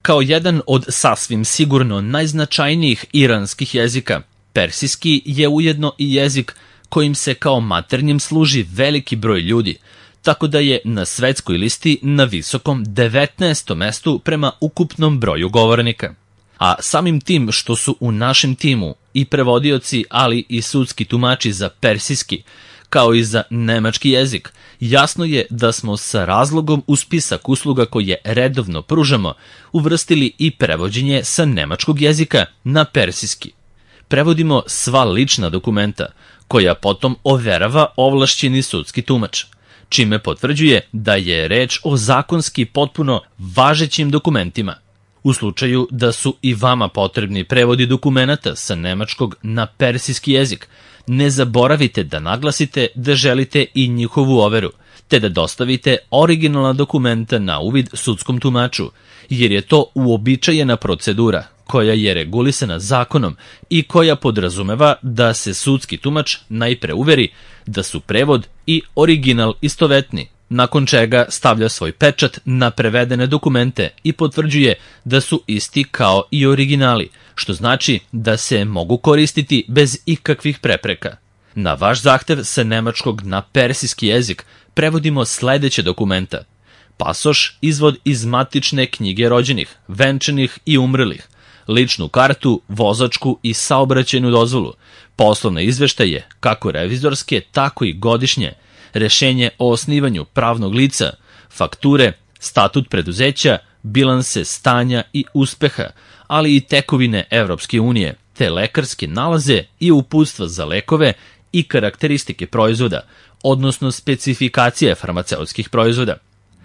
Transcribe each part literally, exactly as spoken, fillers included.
Kao jedan od sasvim sigurno najznačajnijih iranskih jezika, persijski je ujedno i jezik kojim se kao maternjem služi veliki broj ljudi, tako da je na svetskoj listi na visokom devetnaestom mestu prema ukupnom broju govornika. A samim tim što su u našem timu i prevodioci, ali i sudski tumači za persijski, kao i za nemački jezik, jasno je da smo sa razlogom u spisak usluga koje redovno pružamo uvrstili i prevođenje sa nemačkog jezika na persijski. Prevodimo sva lična dokumenta, koja potom overava ovlašćeni sudski tumač, čime potvrđuje da je reč o zakonski potpuno važećim dokumentima. U slučaju da su i vama potrebni prevodi dokumenata sa nemačkog na persijski jezik, ne zaboravite da naglasite da želite i njihovu overu, te da dostavite originalna dokumenta na uvid sudskom tumaču, jer je to uobičajena procedura koja je regulisana zakonom i koja podrazumeva da se sudski tumač najpre uveri da su prevod i original istovetni, nakon čega stavlja svoj pečat na prevedene dokumente i potvrđuje da su isti kao i originali, što znači da se mogu koristiti bez ikakvih prepreka. Na vaš zahtev sa nemačkog na persijski jezik prevodimo sledeće dokumenta: pasoš, izvod iz matične knjige rođenih, venčanih i umrlih, ličnu kartu, vozačku i saobraćajnu dozvolu, poslovne izveštaje, kako revizorske, tako i godišnje, rešenje o osnivanju pravnog lica, fakture, statut preduzeća, bilanse stanja i uspeha, ali i tekovine Evropske unije, te lekarske nalaze i uputstva za lekove i karakteristike proizvoda, odnosno specifikacije farmaceutskih proizvoda.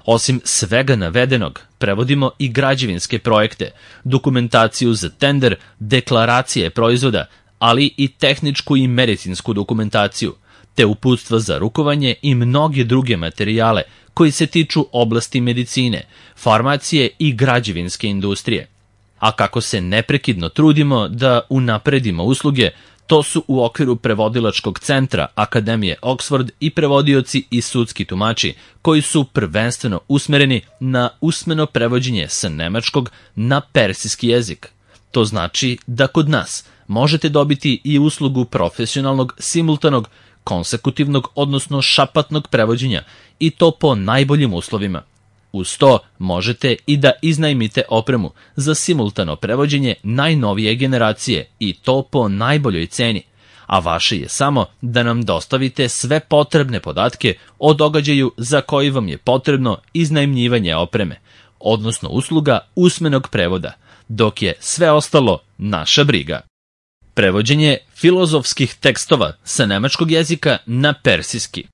Osim svega navedenog, prevodimo i građevinske projekte, dokumentaciju za tender, deklaracije proizvoda, ali i tehničku i medicinsku dokumentaciju, te uputstva za rukovanje i mnoge druge materijale koji se tiču oblasti medicine, farmacije i građevinske industrije. A kako se neprekidno trudimo da unapredimo usluge, to su u okviru prevodilačkog centra Akademije Oxford i prevodioci i sudski tumači koji su prvenstveno usmereni na usmeno prevođenje sa nemačkog na persijski jezik. To znači da kod nas možete dobiti i uslugu profesionalnog, simultanog, konsekutivnog, odnosno šapatnog prevođenja, i to po najboljim uslovima. Uz to možete i da iznajmite opremu za simultano prevođenje najnovije generacije, i to po najboljoj ceni, a vaše je samo da nam dostavite sve potrebne podatke o događaju za koji vam je potrebno iznajmljivanje opreme, odnosno usluga usmenog prevoda, dok je sve ostalo naša briga. Prevođenje filozofskih tekstova sa nemačkog jezika na persijski.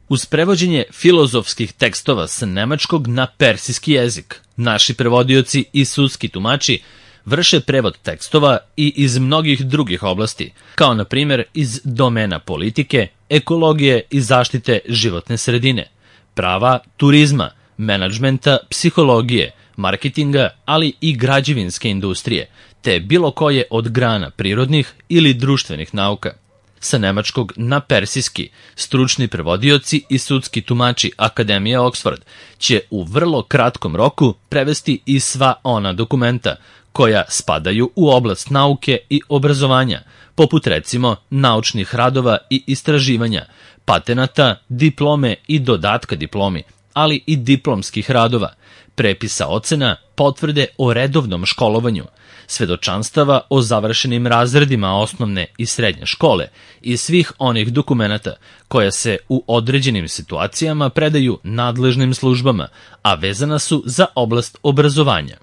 Uz prevođenje filozofskih tekstova sa nemačkog na persijski jezik, naši prevodioci i sudski tumači vrše prevod tekstova i iz mnogih drugih oblasti, kao na primjer iz domena politike, ekologije i zaštite životne sredine, prava, turizma, menadžmenta, psihologije, marketinga, ali i građevinske industrije, te bilo koje od grana prirodnih ili društvenih nauka. Sa nemačkog na persijski, stručni prevodioci i sudski tumači Akademije Oxford će u vrlo kratkom roku prevesti i sva ona dokumenta koja spadaju u oblast nauke i obrazovanja, poput recimo naučnih radova i istraživanja, patenata, diplome i dodatka diplomi, ali i diplomskih radova, prepisa ocena, potvrde o redovnom školovanju, svedočanstava o završenim razredima osnovne i srednje škole i svih onih dokumenata koja se u određenim situacijama predaju nadležnim službama, a vezana su za oblast obrazovanja.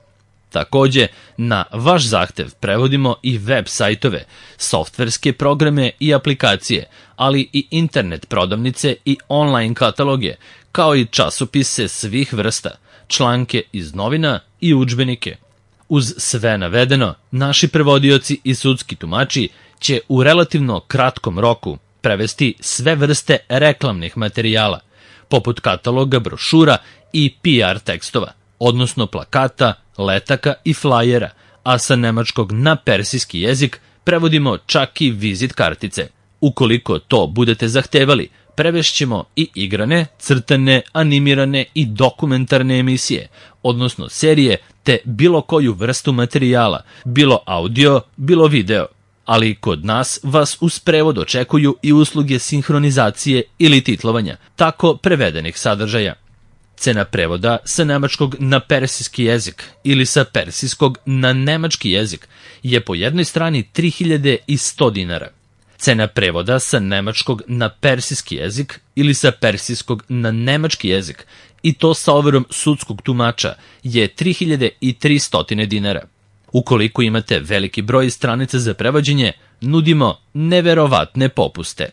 Takođe, na vaš zahtev prevodimo i web sajtove, softverske programe i aplikacije, ali i internet prodavnice i online kataloge, kao i časopise svih vrsta, članke iz novina i udžbenike. Uz sve navedeno, naši prevodioci i sudski tumači će u relativno kratkom roku prevesti sve vrste reklamnih materijala, poput kataloga, brošura i P R tekstova, odnosno plakata, letaka i flajera, a sa nemačkog na persijski jezik prevodimo čak i vizit kartice. Ukoliko to budete zahtevali, prevešćemo i igrane, crtane, animirane i dokumentarne emisije, odnosno serije, te bilo koju vrstu materijala, bilo audio, bilo video. Ali kod nas vas uz prevod očekuju i usluge sinhronizacije ili titlovanja, tako prevedenih sadržaja. Cena prevoda sa nemačkog na persijski jezik ili sa persijskog na nemački jezik je po jednoj strani tri hiljade sto dinara. Cena prevoda sa nemačkog na persijski jezik ili sa persijskog na nemački jezik, i to sa overom sudskog tumača, je tri hiljade tristo dinara. Ukoliko imate veliki broj stranica za prevođenje, nudimo neverovatne popuste.